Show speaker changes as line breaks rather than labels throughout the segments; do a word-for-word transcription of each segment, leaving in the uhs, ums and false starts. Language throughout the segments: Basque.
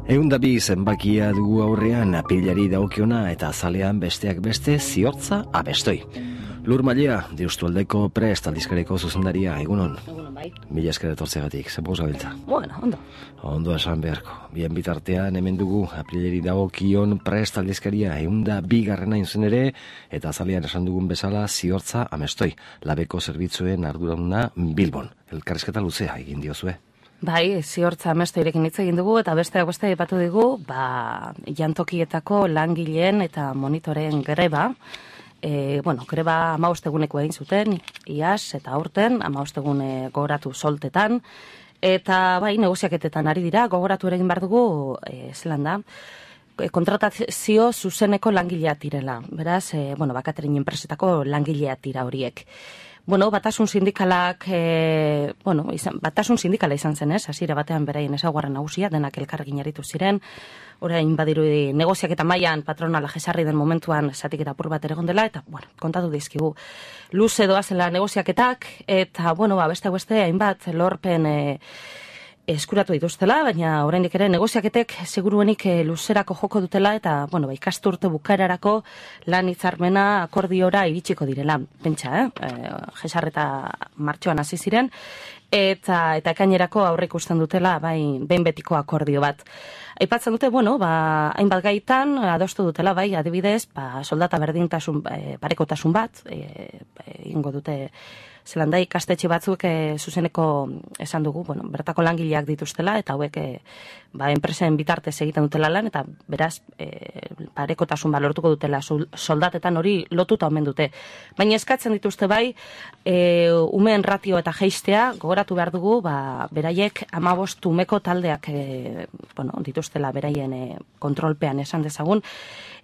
Eunda bi zenbakia dugu aurrean apilari dagokiona eta azalean besteak beste ziortza abestoi. Lur Mailea, Deustualdeko Prest aldizkariko zuzendaria, egunon.
Egunon, bai.
Mila esker etortzegatik, zenbuz gabiltza.
Bueno, ondo.
Ondo esan beharko. Bien bitartean hemen dugu apilari dagokion Prest aldizkaria eunda bigarrena inzen ere, eta azalean esan dugun bezala ziortza amestoi, labeko zerbitzuen arduraduna Bilbon. Elkarrizketa luzea egin diozue.
Bai, ziortza amestoirekin hitz egin dugu, eta besteak beste aipatu digu, ba, jantokietako langileen eta monitoren greba. E, bueno, greba hamabosteguneko egin zuten, iaz eta aurten, hamabostegune gogoratu soltetan, eta bai, negoziaketetan ari dira, gogoratu ere egin behar dugu, e, zelan da, e, kontratazio zuzeneko langileak direla. Beraz, e, bueno, bakaterin enpresetako langileak dira horiek. Bueno, batasun sindikalak, e, bueno, izan, batasun sindikala izan zen, ez? Hasiera batean beraien ezaugarri nagusia, denak elkarrekin aritu ziren. Orain badirudi negoziak eta mailan patronala jesarri den momentuan zatik eta apur bat ere gondela, eta, bueno, kontatu dizkigu. Luze doazela negoziaketak, eta, bueno, ba, beste beste hainbat lorpen e, eskuratu dituztela, baina oraindik ere negoziaketek seguruenik e, luzerako joko dutela, eta, bueno, ba, ikasturte bukaerarako lan hitzarmena akordiora iritsiko direla. Pentsa, eh? E, jesarreta martxoan hasi ziren, eta eta ekainerako aurre ikusten dutela bai behin betiko akordio bat. Aipatzen dute, bueno, ba, hainbat gaitan adostu dutela, bai, adibidez, ba, soldata berdintasun, e, parekotasun bat, egingo e, dute zelan da ikastetxe batzuk e, zuzeneko esan dugu, bueno, bertako langileak dituztela, eta hauek e, ba, enpresen bitartez egiten dutela lan, eta beraz, e, parekotasun ba, lortuko dutela soldatetan hori lotuta omen dute. Baina eskatzen dituzte bai, e, umeen ratio eta jeistea, gogoratu behar dugu, ba, beraiek hamabost umeko taldeak e, bueno, dituztela beraien e, kontrolpean esan dezagun,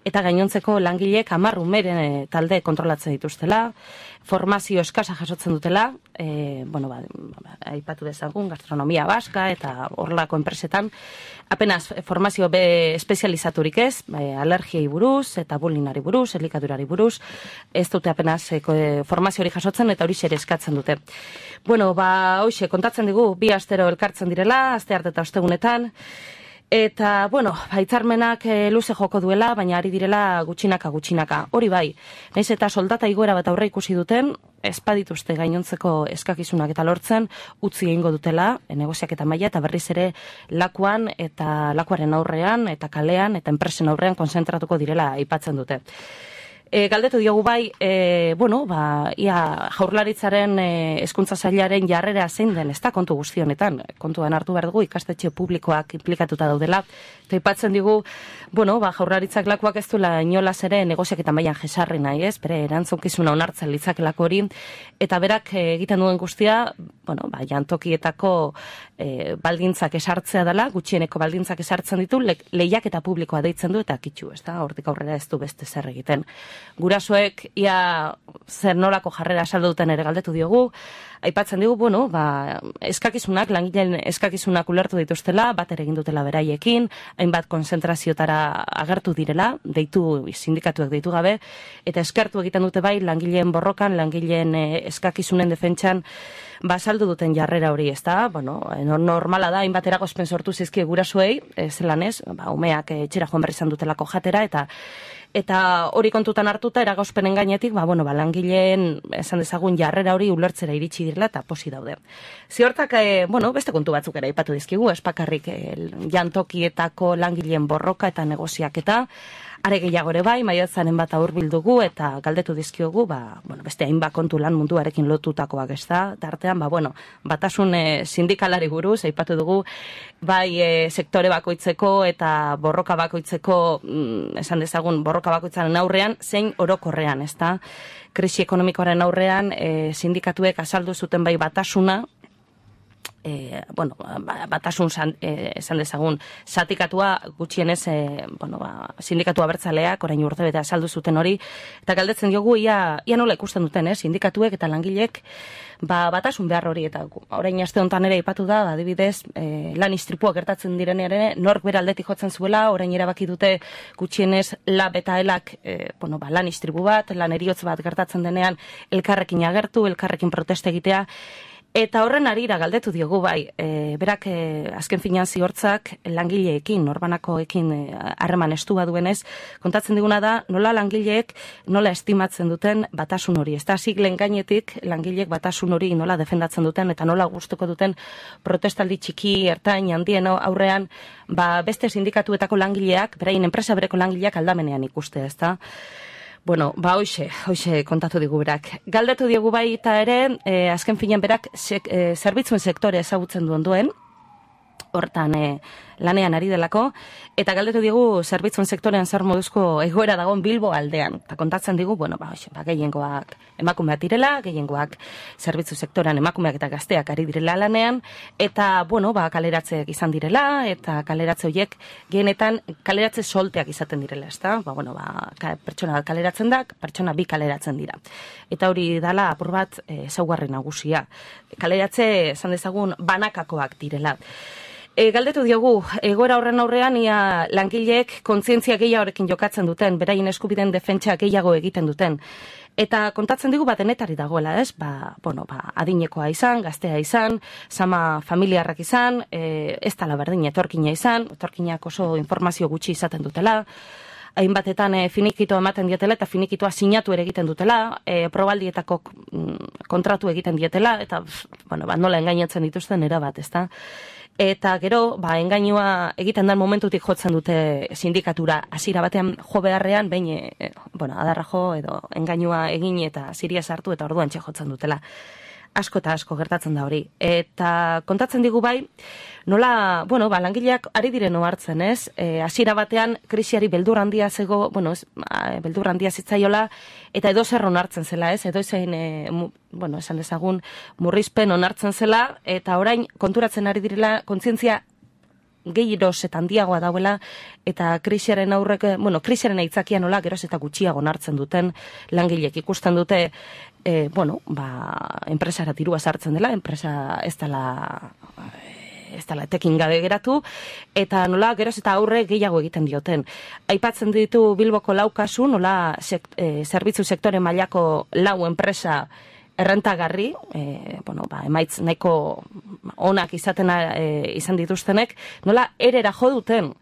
eta gainontzeko langileek hamar umeren e, talde kontrolatzen dituztela, formazio eskasa jasotzen dutela, e, bueno, ba, aipatu dezagun, gastronomia baska eta horrelako enpresetan, apenas formazio be espezializaturik ez, e, alergiei buruz eta bullyingari buruz, elikadurari buruz, ez dute apenas e, formazio hori jasotzen eta hori ere eskatzen dute. Bueno, ba, hoxe, kontatzen digu, bi astero elkartzen direla, aste arte eta ostegunetan, eta, bueno, hitzarmenak e, luze joko duela, baina ari direla gutxinaka gutxinaka. Hori bai, naiz eta soldata igoera bat aurre ikusi duten, ez badituzte gainontzeko eskakizunak eta lortzen, utzi egingo dutela, e, negoziaketa maila, eta berriz ere lakuan eta lakuaren aurrean, eta kalean, eta enpresen aurrean konzentratuko direla aipatzen dute. E, galdetu diogu bai, e, bueno, ba, ia jaurlaritzaren e, hezkuntza sailaren jarrera zein den, ez da kontu guzti honetan, kontuan hartu behar dugu ikastetxe publikoak implikatuta daudela, eta aipatzen digu, bueno, ba, jaurlaritzak lakuak ez duela inolaz ere negoziak eta mailan jesarri nahi, ez, bere erantzukizuna onartzen litzakelako hori, eta berak e, egiten duen guztia, bueno, ba, jantokietako e, baldintzak esartzea dela, gutxieneko baldintzak esartzen ditu, le, lehiak eta publikoa deitzen du, eta kitxu, ez da, hortik aurrera ez du beste zer egiten. Gurasoek ia zer nolako jarrera saldu duten ere galdetu diogu, aipatzen digu, bueno, ba, eskakizunak, langileen eskakizunak ulertu dituztela, bat ere egin dutela beraiekin, hainbat konzentraziotara agertu direla, deitu sindikatuak deitu gabe, eta eskertu egiten dute bai langileen borrokan, langileen eh, eskakizunen defentsan, ba, saldu duten jarrera hori, ez da, bueno, normala da, hainbat eragozpen sortu zizkie gurasoei, zelan ez, ba, umeak etxera joan berri izan dutelako jatera, eta Eta hori kontutan hartuta, eragozpenen gainetik, ba, bueno, ba, langileen, esan dezagun, jarrera hori ulertzera iritsi direla eta posi daude. Ziortak, e, bueno, beste kontu batzuk ere aipatu dizkigu, espakarrik e, jantokietako langileen borroka eta negoziaketa, are gehiago ere bai, maiatzaren bat aurbildugu eta galdetu dizkiogu, ba, bueno, beste hainbat kontu lan munduarekin lotutakoak ez da, tartean, ba, bueno, batasun e, sindikalari buruz, aipatu dugu, bai e, sektore bakoitzeko eta borroka bakoitzeko, mm, esan dezagun, borroka bakoitzaren aurrean, zein orokorrean, ez da, krisi ekonomikoaren aurrean, e, sindikatuek azaldu zuten bai batasuna, E, bueno, batasun san, e, esan dezagun zatikatua gutxienez e, bueno, ba, sindikatu abertzaleak orain urtebete azaldu zuten hori, eta galdetzen diogu ia, ia nola ikusten duten, eh? Sindikatuek eta langilek ba, batasun behar hori, eta orain aste honetan ere aipatu da, adibidez e, lan istripua gertatzen direnean ere nork bere aldetik jotzen zuela, orain erabaki dute gutxienez lab eta elak e, bueno, ba, lan istripu bat, lan eriotz bat gertatzen denean elkarrekin agertu, elkarrekin proteste egitea, Eta horren arira galdetu diogu bai, e, berak e, azken finean ziortzak langileekin, norbanakoekin harreman e, estua duenez, kontatzen diguna da, nola langileek nola estimatzen duten batasun hori. Ez da, siglen gainetik langileek batasun hori nola defendatzen duten, eta nola gustuko duten protestaldi txiki, ertain, handien aurrean, ba, beste sindikatuetako langileak, beraien enpresa bereko langileak aldamenean ikuste, ez da? Bueno, ba, hoxe, hoxe kontatu digu berak. Galdetu diegu bai eta ere, eh, azken finean berak sek, eh, zerbitzuen sektore ezagutzen duen duen, hortan eh, lanean ari delako, eta galdetu digu zerbitzuen sektorean zer moduzko egoera dagoen Bilbo aldean. Eta kontatzen digu, bueno, ba, hoxe, ba, gehiengoak emakumeak direla, gehiengoak zerbitzu sektorean emakumeak eta gazteak ari direla lanean, eta, bueno, ba, kaleratzeak izan direla, eta kaleratze horiek gehienetan kaleratze solteak izaten direla, ezta? Ba, bueno, ba, pertsona bat kaleratzen da, pertsona bi kaleratzen dira. Eta hori dala apur bat ezaugarri e, nagusia. Kaleratze, esan dezagun, banakakoak direla. E, galdetu diogu, egoera horren aurrean ia langileek kontzientzia gehiagorekin jokatzen duten, beraien eskubideen defentsa gehiago egiten duten. Eta kontatzen digu bat denetari dagoela, ez? Ba, bueno, ba, adinekoa izan, gaztea izan, sama familiarrak izan, e, ez tala berdin etorkina izan, etorkinak oso informazio gutxi izaten dutela, hainbatetan e, finikitoa ematen dietela eta finikitoa sinatu ere egiten dutela, e, probaldietako mm, kontratu egiten dietela, eta bueno, ba, nola engainatzen dituzten erabat, ezta? Eta gero, ba, engainua egiten den momentutik jotzen dute sindikatura hasiera batean jo beharrean, behin, e, bueno, adarra jo edo engainua egin eta ziria sartu eta orduan txe jotzen dutela. Asko eta asko gertatzen da hori. Eta kontatzen digu bai, nola, bueno, ba, langileak ari diren ohartzen, ez? E, hasiera batean krisiari beldur handia zego, bueno, ez, beldur handia zitzaiola, eta edo zer onartzen zela, ez? Edo zein, e, mu, bueno, esan dezagun, murrizpen onartzen zela, eta orain konturatzen ari direla kontzientzia gehiroz eta handiagoa dauela, eta krisiaren aurrek, bueno, krisiaren aitzakia nola geroz eta gutxiago onartzen duten langileek ikusten dute, e, bueno, ba, enpresara dirua sartzen dela, enpresa ez dela, ez dela etekin gabe geratu, eta nola geroz eta aurre gehiago egiten dioten. Aipatzen ditu Bilboko lau kasu, nola sek, e, zerbitzu sektore mailako lau enpresa errentagarri, e, bueno, ba, emaitz nahiko onak izaten e, izan dituztenek, nola erera jo duten.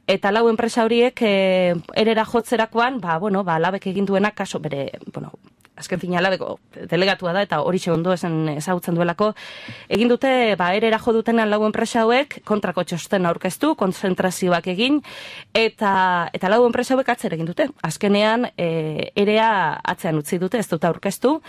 Eta lau enpresa horiek e, erera jotzerakoan, ba, bueno, ba, labek egin duena kaso bere, bueno, azken fina labeko delegatua da, eta hori ondo esan ezagutzen duelako, egin dute, ba, erera jo dutenan lau enpresa hauek kontrako txosten aurkeztu, konzentrazioak egin, eta, eta lau enpresa hauek atzer egin dute. Azkenean, e, erea atzean utzi dute, ez dute aurkeztu,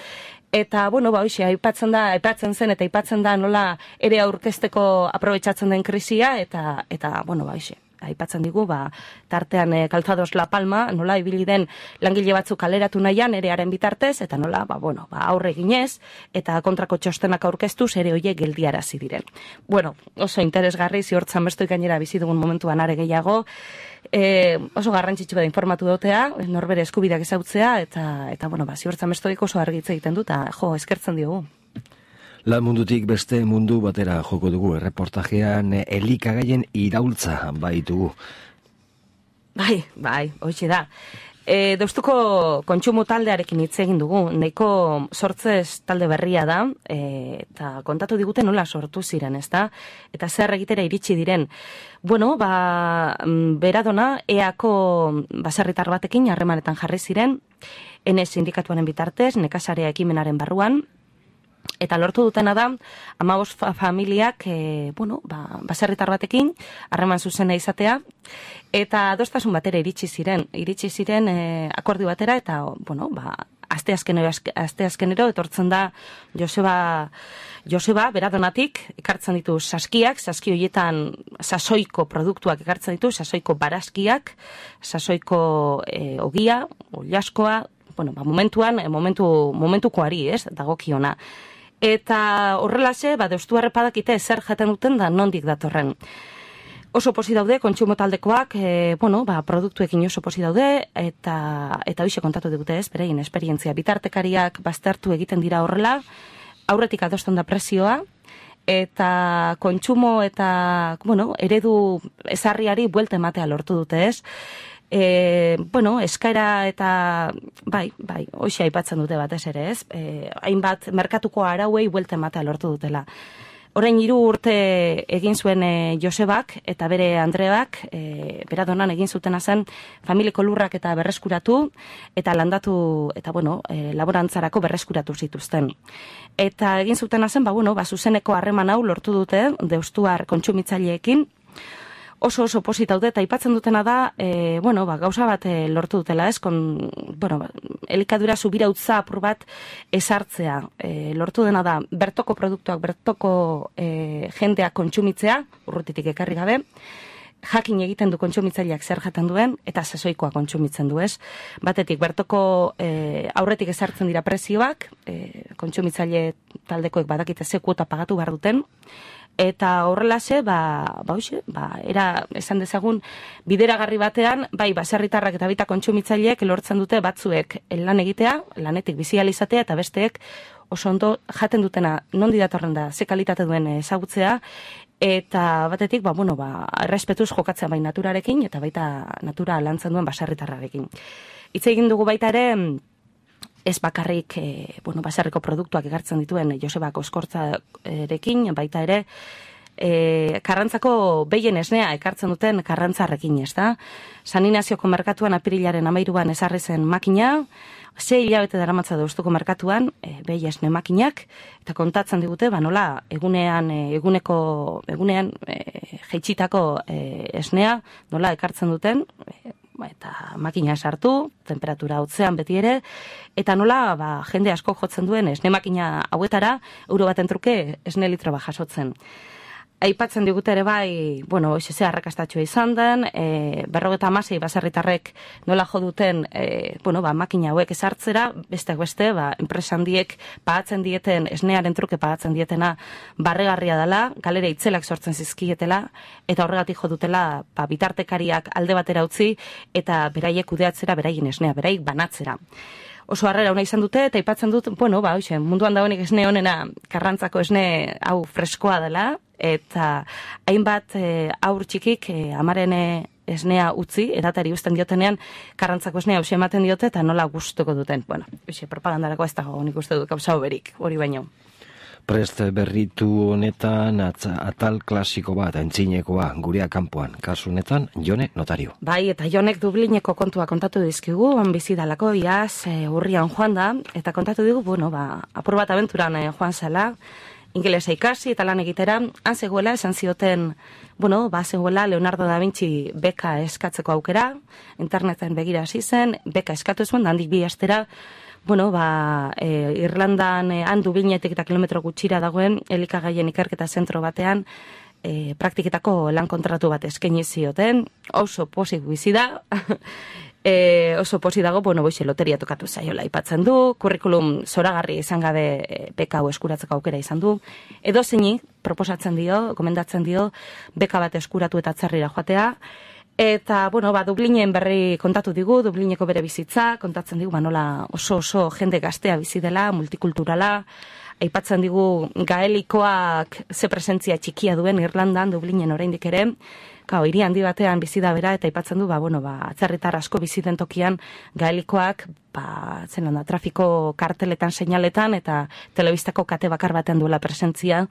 eta, bueno, ba, hoxe, aipatzen da, aipatzen zen, eta aipatzen da nola ere aurkezteko aprobetxatzen den krisia, eta, eta bueno, ba, hoxe, aipatzen digu, ba, tartean e, Calzados La Palma, nola ibili den langile batzuk kaleratu nahian erearen bitartez, eta nola, ba, bueno, ba, aurre ginez, eta kontrako txostenak aurkeztu, ere hoiek geldiarazi diren. Bueno, oso interesgarri, ziortzan bestoik gainera bizi dugun momentuan are gehiago, E, oso garrantzitsu da informatu dotea, norbere eskubideak ezautzea, eta, eta bueno, ba, ziortzan bestoik oso argitze egiten du, eta jo, eskertzen diogu.
Lan mundutik beste mundu batera joko dugu, erreportajean elikagaien iraultza baitugu.
Bai, bai, hoxe da. E, Deustuko kontsumo taldearekin hitz egin dugu, nahiko sortzez talde berria da, e, eta kontatu digute nola sortu ziren, ezta? Eta zer egitera iritsi diren. Bueno, ba, beradona, eako baserritar batekin harremanetan jarri ziren, ene sindikatuaren bitartez, nekazarea ekimenaren barruan, eta lortu dutena da, hamabost familiak, e, bueno, ba, baserritar batekin, harreman zuzena izatea, eta adostasun batera iritsi ziren, iritsi ziren e, akordio batera, eta, bueno, ba, asteazkenero, asteazkenero, etortzen da Joseba, Joseba, beradonatik, ekartzen ditu saskiak, saski horietan sasoiko produktuak ekartzen ditu, sasoiko barazkiak, sasoiko e, ogia, oliaskoa, bueno, ba, momentuan, momentu, momentukoari, ez, dagokiona. Eta horrelase, ba, deustu harrepadakite zer jaten duten da nondik datorren. Oso posi daude, kontsumo taldekoak, e, bueno, ba, produktuekin oso posi daude, eta eta hoxe kontatu digute ez, berein esperientzia. Bitartekariak baztertu egiten dira horrela, aurretik adosten da prezioa, eta kontsumo eta, bueno, eredu ezarriari buelta ematea lortu dute ez. E, bueno, eskaera eta, bai, bai, hoxe aipatzen dute batez ere, ez? E, hainbat merkatuko arauei buelta ematea lortu dutela. Orain hiru urte egin zuen e, Josebak eta bere Andreak, e, beradonan egin zutena zen familiko lurrak eta berreskuratu eta landatu eta bueno, e, laborantzarako berreskuratu zituzten. Eta egin zutena zen, ba bueno, ba zuzeneko harreman hau lortu dute deustuar kontsumitzaileekin. Oso oso posit daude eta aipatzen dutena da, e, bueno, ba, gauza bat e, lortu dutela, ez? Kon, bueno, ba, elikadura subirautza apur bat esartzea. E, lortu dena da, bertoko produktuak, bertoko e, jendeak kontsumitzea, urrutitik ekarri gabe, jakin egiten du kontsumitzaileak zer jaten duen, eta sasoikoa kontsumitzen du, ez? Batetik, bertoko e, aurretik ezartzen dira prezioak, e, kontsumitzaile taldekoek badakite ze kuota pagatu behar duten, eta horrelase, ba, ba, hoxe, ba, era, esan dezagun, bideragarri batean, bai, baserritarrak eta baita kontsumitzaileek lortzen dute batzuek lan egitea, lanetik bizializatea, eta besteek oso ondo jaten dutena nondi datorren da, ze kalitate duen ezagutzea, eta batetik, ba, bueno, ba, errespetuz jokatzea bai naturarekin, eta baita natura lantzen duen baserritarrarekin. Hitz egin dugu baita ere, ez bakarrik, e, bueno, baserriko produktuak egartzen dituen Josebako eskortzarekin, baita ere, e, Karrantzako behien esnea ekartzen duten Karrantzarrekin, ez da? San Inazioko merkatuan apirilaren amairuan ezarri zen makina, ze hilabete daramatza Deustuko merkatuan, e, behi esne makinak, eta kontatzen digute, ba nola, egunean, e, eguneko, egunean, e, jeitsitako e, esnea, nola ekartzen duten, e, eta makina sartu, temperatura hotzean beti ere, eta nola ba, jende asko jotzen duen esne makina hauetara, euro baten truke esne litro bat jasotzen. Aipatzen digute ere bai, bueno, ze arrakastatxoa izan den, e, berrogeta hamasei baserritarrek nola jo duten, e, bueno, ba, makina hauek ezartzera, beste beste, ba, enpresa handiek pagatzen dieten, esnearen truke pagatzen dietena barregarria dela, galera itzelak sortzen zizkietela, eta horregatik jo dutela ba, bitartekariak alde batera utzi, eta beraiek kudeatzera, beraien esnea, beraik banatzera. Oso harrera ona izan dute, eta aipatzen dut, bueno, ba, hoxe, munduan dagoenik esne honena, Karrantzako esne hau freskoa dela, eta hainbat e, aur txikik e, amaren esnea utzi, edatari uzten diotenean, Karrantzako esnea hausia ematen diote, eta nola gustuko duten. Bueno, hoxe, propagandarako ez dago, nik uste dut, gauza berik, hori baino.
Prest berritu honetan atza, atal klasiko bat, entzinekoa, gurea kanpoan, kasu honetan, Jone Notario.
Bai, eta Jonek Dublineko kontua kontatu dizkigu, on bizidalako, iaz, e, urrian joan da, eta kontatu digu, bueno, ba, apur bat abenturan e, joan zela, ingelesa ikasi eta lan egitera, han zegoela, esan zioten, bueno, ba, zegoela Leonardo da Vinci beka eskatzeko aukera, interneten begira hasi zen, beka eskatu zuen, handik bi astera, bueno, ba, e, Irlandan e, han Dublinetik eta kilometro gutxira dagoen elikagaien ikerketa zentro batean e, praktiketako lan kontratu bat eskaini zioten, oso pozik bizi da, e, oso pozik dago, bueno, boixe loteria tokatu zaiola aipatzen du, kurrikulum zoragarri izan gabe e, beka hau eskuratzeko aukera izan du, edo zeini proposatzen dio, gomendatzen dio, beka bat eskuratu eta atzerrira joatea, eta, bueno, ba, Dublinen berri kontatu digu, Dublineko bere bizitza, kontatzen digu, ba, nola oso oso jende gaztea bizi dela, multikulturala, aipatzen digu gaelikoak ze presentzia txikia duen Irlandan, Dublinen oraindik ere, kao, hiri handi batean bizi da bera, eta aipatzen du, ba, bueno, ba, atzerritar asko bizi den tokian gaelikoak, ba, zelan da, trafiko karteletan, seinaletan, eta telebistako kate bakar batean duela presentzia.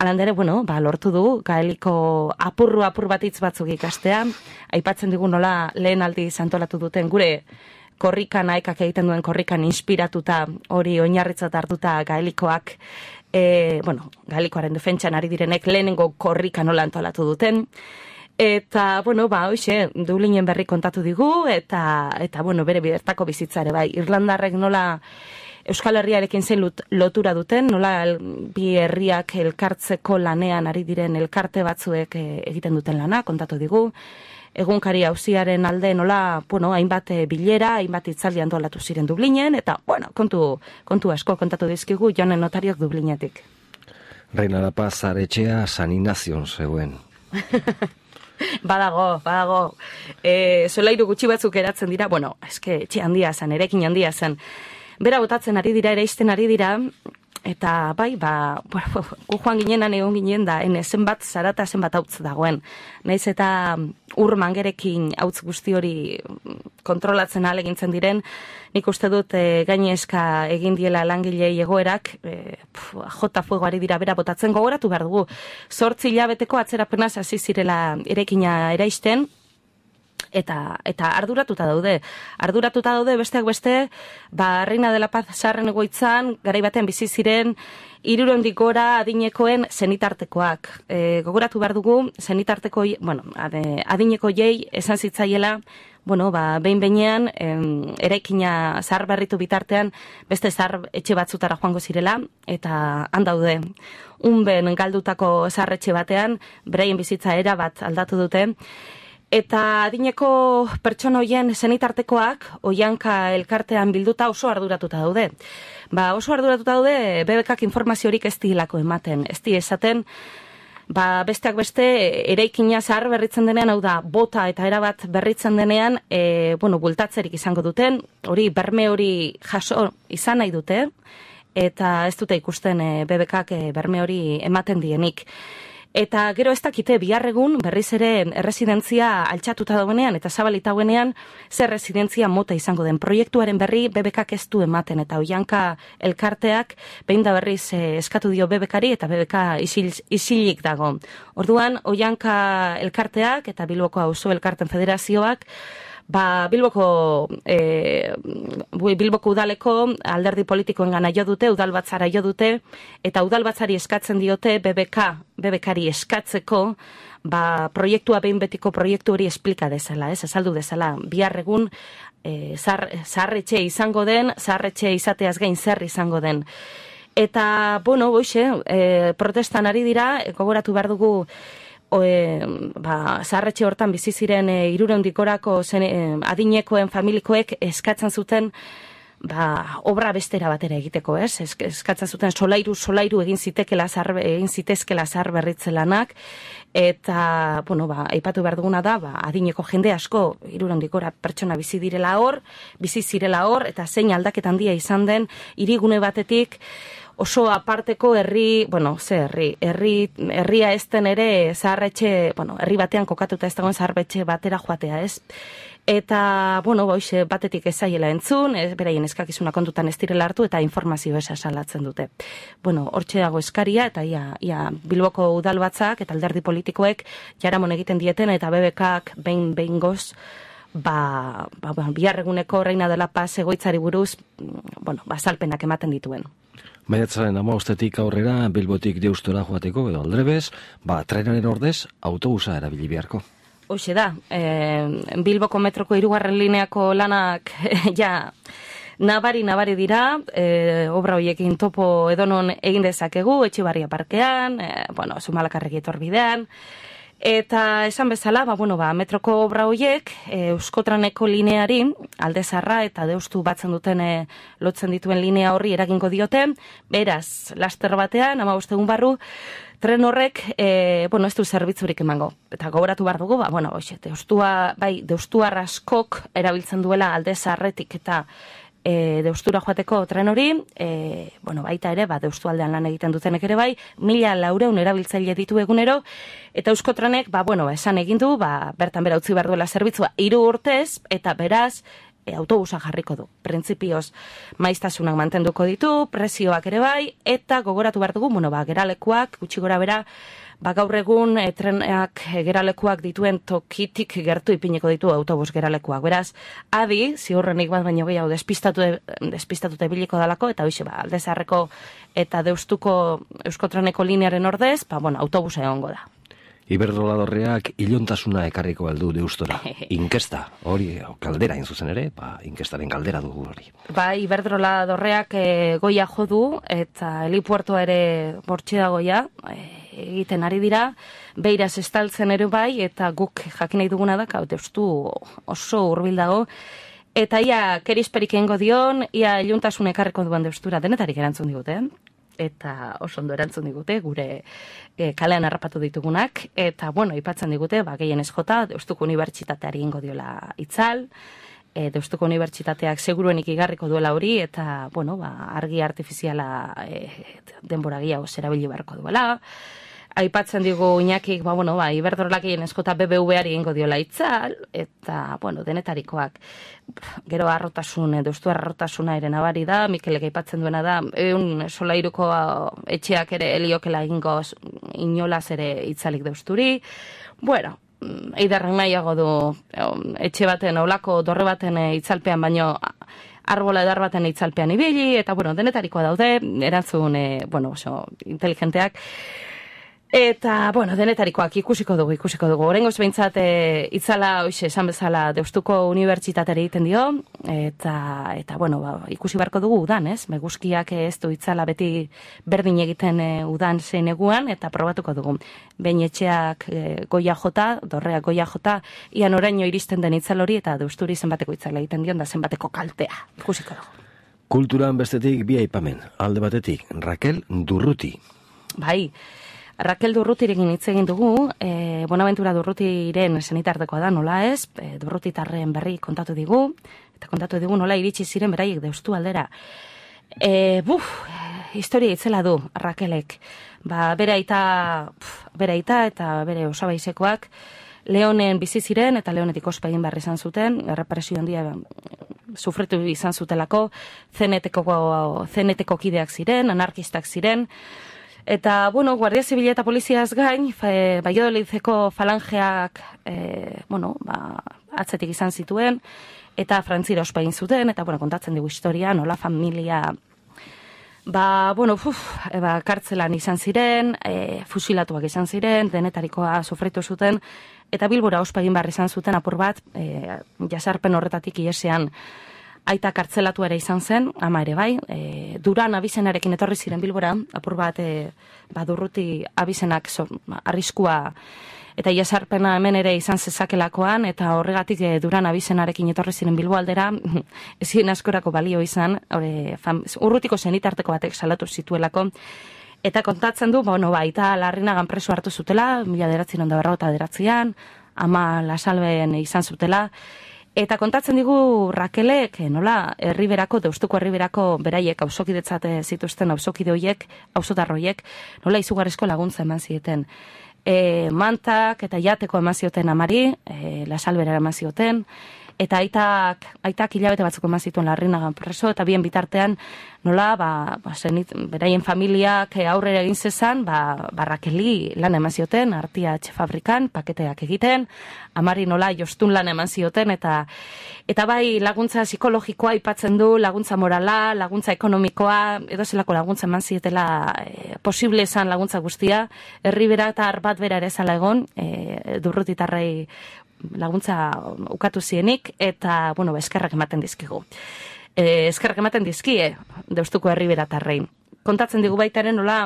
Alandere, bueno, ba, lortu du, gaeliko apurru apur bat hitz batzuk ikastea, aipatzen digu nola lehen aldi antolatu duten gure korrikan, aekak egiten duen korrikan inspiratuta, hori oinarritzat hartuta gaelikoak, e, bueno, gaelikoaren defentsan ari direnek lehenengo korrika nola antolatu duten, eta, bueno, ba, hoxe, Dublinen berri kontatu digu, eta, eta bueno, bere bidertako bizitzare, bai, Irlandarrek nola Euskal Herriarekin zein lotura duten, nola bi herriak elkartzeko lanean ari diren elkarte batzuek egiten duten lana, kontatu digu. Egunkari auziaren alde nola, bueno, hainbat bilera, hainbat hitzaldi antolatu ziren Dublinen, eta, bueno, kontu, kontu asko kontatu dizkigu Jone Notariok Dublinetik.
Reina da Paz aretxea San Inazion zegoen.
Badago, badago. E, solairu gutxi batzuk eratzen dira, bueno, eske etxe handia zen, erekin handia zen. Bera botatzen ari dira, eraisten ari dira, eta bai, ba, gu joan ginenan egon ginen da, ene zenbat zarata zenbat hautz dagoen. Naiz eta ur mangerekin hautz guzti hori kontrolatzen ahalegintzen diren, nik uste dut e, gainezka egin diela langilei egoerak, e, pf, jota fuegoari dira bera botatzen gogoratu behar dugu. Zortzi hilabeteko atzerapenaz hasi zirela erekina eraisten, Eta, eta arduratuta daude. Arduratuta daude besteak beste, ba, Reina de la Paz Zaharren egoitzan, garai batean bizi ziren, hirurehundik gora adinekoen zenitartekoak. E, gogoratu behar dugu, zenitarteko, bueno, ade, adineko jei esan zitzaiela, bueno, ba, behin behinean, em, eraikina zahar berritu bitartean, beste zahar etxe batzutara joango zirela, eta han daude. Unben galdutako zahar etxe batean, beraien bizitza era bat aldatu dute, eta adineko pertsona hoien zenitartekoak oihanka elkartean bilduta oso arduratuta daude. Ba, oso arduratuta daude B B Kak informaziorik ez dilako ematen. Ez di esaten, ba, besteak beste eraikina zahar berritzen denean, hau da, bota eta erabat berritzen denean, e, bueno, bultatzerik izango duten, hori berme hori jaso izan nahi dute, eta ez dute ikusten e, B B Kak e, berme hori ematen dienik. Eta gero ez dakite bihar egun berriz ere erresidentzia altxatuta dauenean eta zabalita dauenean zer residentzia mota izango den. Proiektuaren berri B B Kak ez du ematen eta oihanka elkarteak behin da berriz eh, eskatu dio B B Kari eta B B K isil, isilik dago. Orduan oihanka elkarteak eta Bilboko auzo elkarten federazioak Ba, Bilboko, e, Bilboko udaleko alderdi politikoen gana jo dute, udalbatzara jo dute, eta udalbatzari eskatzen diote B B K, B B Kari eskatzeko, ba, proiektua behin betiko proiektu hori esplika dezala, ez, azaldu dezala, bihar egun e, zaharretxe izango den, zaharretxe izateaz gain zer izango den. Eta, bueno, boixe, e, protestan ari dira, gogoratu behar dugu, Oe, ba, zaharretxe hortan bizi ziren e, hirurehundik gorako zen, e, adinekoen familikoek eskatzen zuten ba, obra bestera batera egiteko, ez? Eskatzen zuten solairu, solairu egin zitekela zar, egin zitezkela zahar berritze lanak, eta, bueno, ba, aipatu behar duguna da, ba, adineko jende asko, hirurehundik gora pertsona bizi direla hor, bizi zirela hor, eta zein aldaketan handia izan den, hirigune batetik, oso aparteko herri, bueno, ze herri, herri, herria ezten ere zaharretxe, bueno, herri batean kokatuta ez dagoen zaharretxe batera joatea, ez? Eta, bueno, boixe, batetik ezaiela entzun, ez, beraien eskakizuna kontutan ez direla hartu, eta informazio esa salatzen dute. Bueno, hortxe dago eskaria, eta ia, ia Bilboko udalbatzak eta alderdi politikoek jaramon egiten dieten, eta B B Kak behin behin goz, ba, ba, ba, biharreguneko Reina de la Paz egoitzari buruz, bueno, bazalpenak ematen dituen.
Maiatzaren hamabostetik aurrera Bilbotik Deustora joateko edo aldrebez, ba, trenaren ordez autobusa erabili beharko.
Hoxe da, e, Bilboko metroko hirugarren lineako lanak ja nabari nabari dira, e, obra horiekin topo edonon egin dezakegu, Etxebarria parkean, e, bueno, Zumalakarregi etorbidean, eta esan bezala, ba, bueno, ba, metroko obra horiek e, Euskotraneko lineari, Alde Zaharra eta Deustu batzen duten e, lotzen dituen linea horri eragingo diote, beraz, laster batean, hamabost egun barru, tren horrek, e, bueno, ez du zerbitzurik emango. Eta gogoratu behar dugu, ba, bueno, oixe, Deustua, bai, Deustuar askok erabiltzen duela Alde Zaharretik eta E, Deustura joateko tren hori, e, bueno, baita ere, ba, Deustu aldean lan egiten dutenek ere bai, mila laureun erabiltzaile ditu egunero, eta Euskotrenek, ba, bueno, ba, esan egin du, ba, bertan bera utzi behar duela zerbitzua hiru urtez, eta beraz, e, autobusa jarriko du. Printzipioz, maiztasunak mantenduko ditu, prezioak ere bai, eta gogoratu behar dugu, bueno, ba, geralekuak, gutxi gora bera, ba, gaur egun e, trenak e, geralekuak dituen tokitik gertu ipiniko ditu autobus geralekuak. Beraz, adi, ziurrenik bat baino gehiago despistatu despistatuta ibiliko dalako, eta hoxe, ba, Alde Zaharreko eta Deustuko Euskotreneko linearen ordez, ba, bueno, autobusa egongo da.
Iberdrola dorreak ilontasuna ekarriko aldu Deustora. Inkesta, hori, kaldera zuzen ere, ba, inkestaren kaldera dugu hori.
Ba, Iberdrola dorreak e, goia jodu, eta helipuertoa ere bortxe dagoia, e, egiten ari dira, beiraz estaltzen ere bai, eta guk jakin nahi duguna da, hau Deustu oso hurbil dago, eta ia kerisperik egingo dion, ia iluntasun ekarriko duen Deustura, denetarik erantzun digute, eta oso ondo erantzun digute, gure e, kalean harrapatu ditugunak, eta, bueno, ipatzen digute, ba, gehien ez jota, Deustuko Unibertsitateari ingo diola itzal, e, Deustuko Unibertsitateak seguruenik igarriko duela hori, eta, bueno, ba, argi artifiziala e, denbora gehiago erabili beharko duela. Aipatzen digu Iñakik, ba, bueno, ba, Iberdrolakien eskota B B V-ari egingo diola itzal, eta, bueno, denetarikoak. Gero arrotasun, deustu arrotasuna ere nabari da, Mikelek aipatzen duena da, egun solairuko etxeak ere heliokela egingo inolaz ere itzalik deusturi. Bueno, eidarren nahiago du etxe baten, olako dorre baten itzalpean, baino arbola edar baten itzalpean ibili, eta, bueno, denetarikoa daude, erantzun, e, bueno, oso, inteligenteak. Eta, bueno, denetarikoak ikusiko dugu, ikusiko dugu. Horrengoz behintzat, e, itzala, oixe, esan bezala, Deustuko Unibertsitatere egiten dio, eta, eta bueno, ba, ikusi beharko dugu udan, ez? Meguzkiak ez du itzala beti berdin egiten e, udan zein eguan, eta probatuko dugu. Behin etxeak e, goia jota, dorreak goia jota, ian oraino iristen den itzal hori, eta Deusturi zenbateko itzala egiten dion, da zenbateko kaltea. Ikusiko dugu.
Kulturan bestetik bi aipamen, alde batetik, Rakel Durruti.
Bai, Rakel Durrutirekin hitz egin dugu, e, Bonaventura Durrutiren senitartekoa da, nola ez, e, Durrutitarren berri kontatu digu, eta kontatu digu nola iritsi ziren beraiek Deustu aldera. E, buf, historia itzela du Rakelek, ba, bere aita, pf, bere aita eta bere osabaizekoak, Leonen bizi ziren eta Leonetik ospa egin behar izan zuten, errepresio handia sufritu izan zutelako, zeneteko, zeneteko kideak ziren, anarkistak ziren. Eta, bueno, Guardia Zibila eta Poliziaz gain, e, Baiodolizeko falangeak, e, bueno, ba, atzetik izan zituen, eta frantzira ospa egin zuten, eta, bueno, kontatzen dugu historia, nola familia, ba, bueno, uf, e, ba, kartzelan izan ziren, e, fusilatuak izan ziren, denetarikoa sufritu zuten, eta Bilbora ospa egin behar izan zuten apur bat, e, jasarpen horretatik iesean, aita kartzelatu ere izan zen, ama ere bai, e, Duran abizenarekin etorri ziren Bilbora, apur bat e, badurruti abizenak so, arriskua eta jasarpena hemen ere izan zezakelakoan, eta horregatik e, Duran abizenarekin etorri ziren Bilbo aldera, ezin askorako balio izan, ore, fam, urrutiko zenitarteko batek salatu zituelako, eta kontatzen du, bueno, ba, eta Larrinagan preso hartu zutela, mila deratzen onda berrota deratzean, ama Lasalben izan zutela, eta kontatzen digu Rakelek, nola, herriberako, Deustuko herriberako beraiek auzokidetzat zituzten auzokide hoiek, auzotar hoiek, nola izugarrizko laguntza eman zieten. E, mantak eta jateko eman zioten amari, e, Lasalbera eman zioten, eta aitak, aitak hilabete batzuk eman zituen Larrinagan preso, eta bien bitartean, nola, ba, ba zenit, beraien familiak aurrera egin zezan, ba, ba Rakeli lan eman zioten, artia fabrikan, paketeak egiten, amari nola jostun lan eman zioten, eta eta bai laguntza psikologikoa aipatzen du, laguntza morala, laguntza ekonomikoa, edo zelako laguntza eman zietela e, posible esan laguntza guztia, herribera eta arbat bera ere zala egon, e, Durrutitarrei laguntza ukatu zienik, eta, bueno, eskerrak ematen dizkigu. E, eskerrak ematen dizkie, Deustuko herriberatarrei. Kontatzen digu baitaren nola,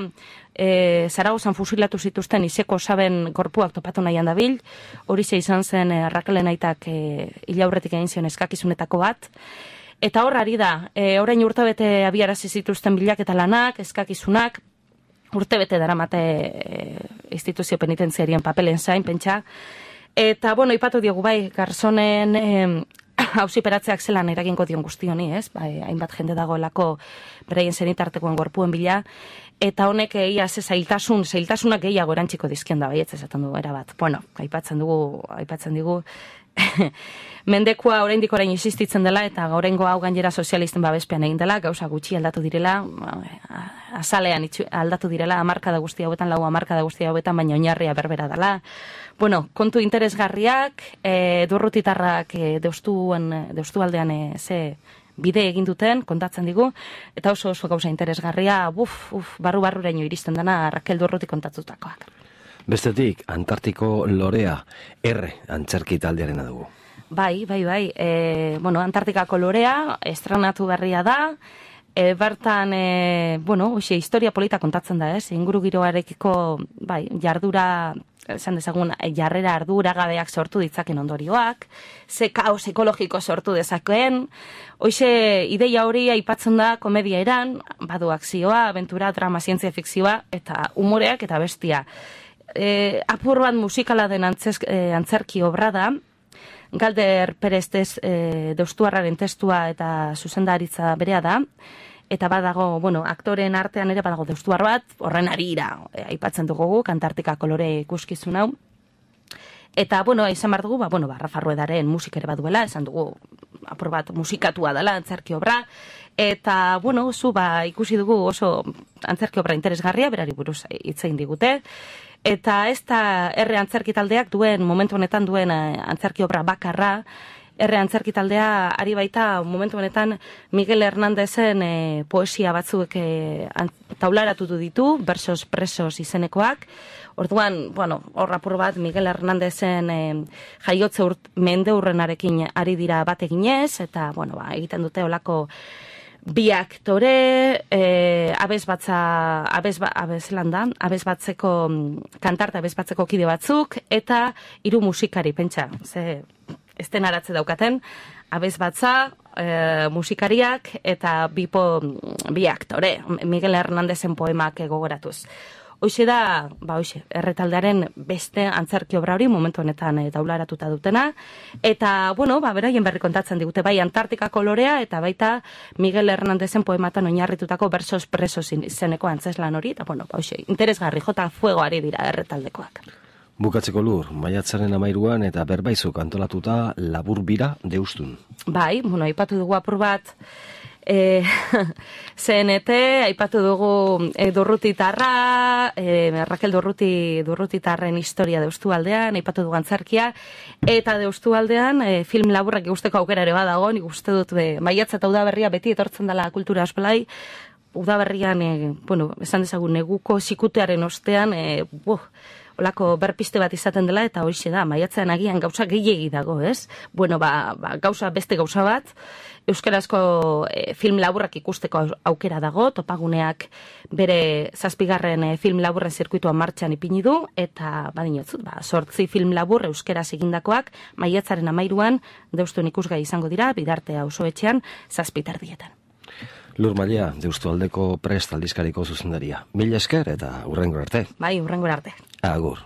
e, Zaragozan fusilatu zituzten izeko saben gorpuak topatu nahian dabil, hori ze izan zen e, Rakelen aitak e, hilaurretik egin zion eskakizunetako bat, eta hor ari da, e, orain urtebete abiarazi zituzten bilak eta lanak, eskakizunak, urtebete daramate e, instituzio penitentziarien papelen zain, pentsa. Eta, bueno, ipatu diogu bai, Garzonen eh, auziperatzeak zelan eragingo dion guztioni, ez? Bai, hainbat jende dagoelako beraien zenitartekoen gorpuen bila, eta honek ia ze zailtasun, zailtasunak gehiago erantziko dizkien da, bai, ez esaten du erabat. Bueno, aipatzen dugu, aipatzen digu, mendekua oraindik orain existitzen dela, eta oraingo hau gainera sozialisten babespean egin dela, gauza gutxi aldatu direla, azalean itxu, aldatu direla, hamarkada guzti hauetan, lau hamarkada guzti hauetan, baina oinarria berbera dela. Bueno, kontu interesgarriak, e, Durrutitarrak e, deustuen, deustu aldean e, ze bide egin duten, kontatzen digu, eta oso oso gauza interesgarria, uf, uf, barru-barruraino iristen dena Rakel Durruti kontatutakoak.
Bestetik, Antartiko Lorea, erre antzerki taldearena dugu.
Bai, bai, bai. E, bueno, Antartikako Lorea, estrenatu berria da, e, bertan, e, bueno, oxe, historia polita kontatzen da, ez? Inguru giroarekiko, bai, jardura, esan dezagun, jarrera arduragabeak sortu ditzaken ondorioak, ze kaos ekologiko sortu dezakeen, hoxe, ideia hori aipatzen da komedia eran, badu akzioa, aventura, drama, zientzia fikzioa, eta umoreak eta bestia. E, apur bat musikala den antzez, e, antzerki obra da, Galder Perez tez, e, Deustuarraren testua eta zuzendaritza berea da, eta badago, bueno, aktoren artean ere badago Deustuar bat, horren harira, e, aipatzen dugu, Kantartika kolore ikuskizun hau. Eta, bueno, izan behar dugu, ba, bueno, ba, Rafa Ruedaren musik ere baduela, esan dugu, apur bat musikatua dela, antzerki obra, eta, bueno, zu, ba, ikusi dugu oso antzerki obra interesgarria, berari buruz hitz egin digute, eta ez da erre antzerki taldeak duen, momentu honetan duen antzerki obra bakarra, erre antzerki taldea ari baita momentu honetan Miguel Hernandezen e, poesia batzuk e, taularatu ditu, Versos Presos izenekoak. Orduan, bueno, hor apur bat Miguel Hernandezen e, jaiotze urt, mendeurrenarekin ari dira bat eginez, eta, bueno, ba, egiten dute olako bi aktore, e, abez batza, abez, ba, abez landa, abez batzeko kantarta, abez batzeko kide batzuk, eta hiru musikari, pentsa, ze esten aratze daukaten, abez batza, e, musikariak, eta bipo, bi aktore, Miguel Hernandezen poemak gogoratuz. Hoxe da, ba hoxe, erretaldearen beste antzerki obra hori momentu honetan e, taularatuta dutena, eta, bueno, ba, beraien berri kontatzen digute, bai Antartika kolorea, eta baita Miguel Hernandezen poematan oinarritutako Versos Presos izeneko antzeslan hori, eta, bueno, ba hoxe, interesgarri, jota fuegoari dira erretaldekoak.
Bukatzeko Lur, maiatzaren amairuan eta berbaizuk antolatuta labur bira Deustun.
Bai, bueno, aipatu dugu apur bat, e, C N T, aipatu dugu e, Durrutitarra, e, Raquel Durruti, Durrutitarren historia Deustu aldean, aipatu dugu antzerkia, eta Deustu aldean e, film laburrak ikusteko aukera ere badago, nik uste dut e, maiatza eta udaberria beti etortzen dela kultura esplai, udaberrian, e, bueno, esan dezagun, neguko sikutearen ostean, e, buh, olako berpiste bat izaten dela, eta hoxe da, maiatzean agian gauza gehiegi dago, ez? Bueno, ba, ba gauza beste gauza bat, euskarazko e, film laburrak ikusteko aukera dago, Topaguneak bere zazpigarren e, film laburren zirkuitua martxan ipini du, eta badinotzut, ba, sortzi film labur euskaraz egindakoak, maiatzaren amairuan, Deustun ikusgai izango dira, Bidartea auzoetxean, zazpiterdietan.
Lur Mailea, Deustualdeko Prest aldizkariko zuzendaria. Mila esker eta hurrengo arte.
Bai, hurrengo arte.
Agur.